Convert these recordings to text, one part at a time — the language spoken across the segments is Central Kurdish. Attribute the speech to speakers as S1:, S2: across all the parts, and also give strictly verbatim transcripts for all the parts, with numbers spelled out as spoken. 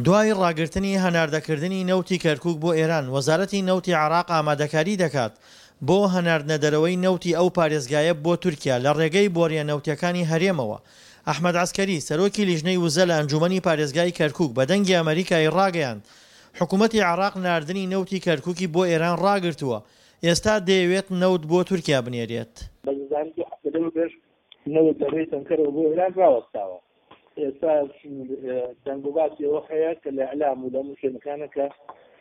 S1: دوای ڕاگرتنی هەناردەکردنی نەوتی کەرکوک بۆ ئێران، وەزارەتی نەوتی عێراق ئامادەکاری دەکات بۆ هەناردنەدەرەوەی نەوتی ئەو پارێزگایە بۆ تورکیا لە ڕێگەی بۆرییە نەوتییەکانی هەرێمەوە. ئەحمەد عەسکەری، سەرۆکی لیژنەی وزە لە ئەنجوومەنی پارێزگای کەرکوک بە دەنگی ئەمەریکای ڕاگەیاند، حکومەتی عێراق ناردنی نەوتی کەرکوکی بۆ ئێران ڕاگرتووە، ئێستا دەیەوێت نەوت بۆ تورکیا بنێرێت.
S2: بە زانی دوو هەفتە لەمەوپێش نەوت لە ڕێی تەنکەرەوە بۆ ئێران ڕاوەستاوە. ئێستا دەنگوباسی ئەوە هەیە کە لە ئیعلام و لە هەموو شوێنەکانە کە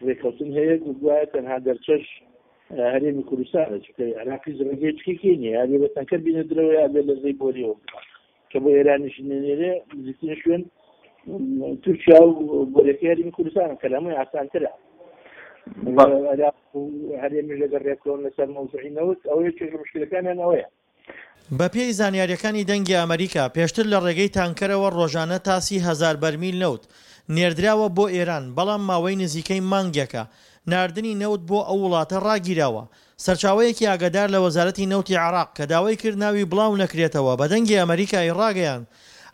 S2: ڕێککەوتن هەیە و گوایە تەنها دەرچەش هەرێمی کوردستانە، چونکە عێراقیش ڕێگەی چکێکی نییە، یا بێ بە تەنکەر بینێترەوە یا بێ لە ڕێی بۆریەوە بکات کە بۆ ئێرانیش نێرێ نزیکترین شوێن تورکیا و بۆریەکەی هەرێمی کوردستانە کە لە هەمووی ئاسانترە. عێراق و هەرێمیش لەگەڵ ڕێککەون لەسەر مەوزوعی نەوت، ئەوە یەکێک لە مشکلەکانیان ئەوەیە.
S1: بەپێی زانیارییەکانی دەنگی ئەمەریکا، پێشتر لە ڕێگەی تانکەرەوە ڕۆژانە تا سی هەزار بەرمیل نەوت نێردراوە بۆ ئێران، بەڵام ماوەی نزیکەی مانگێکە ناردنی نەوت بۆ ئەو وڵاتە ڕاگیراوە. سەرچاوەیەکی ئاگادار لە وەزارەتی نەوتی عێراق کە داوای کرد ناوی بڵاو نەکرێتەوە بە دەنگی ئەمەریکای ڕاگەیاند،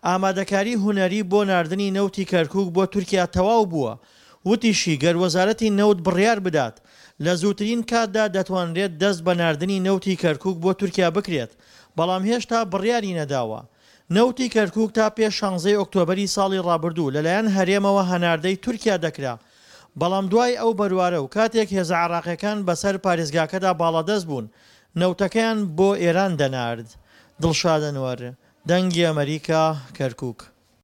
S1: ئامادەکاری هونەری بۆ ناردنی نەوتی کەرکوک بۆ تورکیا تەواو بووە، وتیشی، گەر وەزارەتی نەوت بڕیار بدات، لە زووترین کاتدا دەتوانرێت دەست بە ناردنی نەوتی کەرکوک بۆ تورکیا بکرێت، بەڵام هێشتا بڕیاری نەداوە. نەوتی کەرکوک تا پێش شانزەی ئۆکتۆبەری ساڵی ڕابردوو لەلایەن هەرێمەوە هەناردەی تورکیا دەکرا، بەڵام دوای ئەو بەروارە و کاتێک هێزە عێراقیەکان بەسەر پارێزگاکەدا باڵادەست بوون، نەوتەکەیان بۆ ئێران دەنارد. دڵشاد ئەنوەر، دەنگی ئەمەریکا، کەرکوک.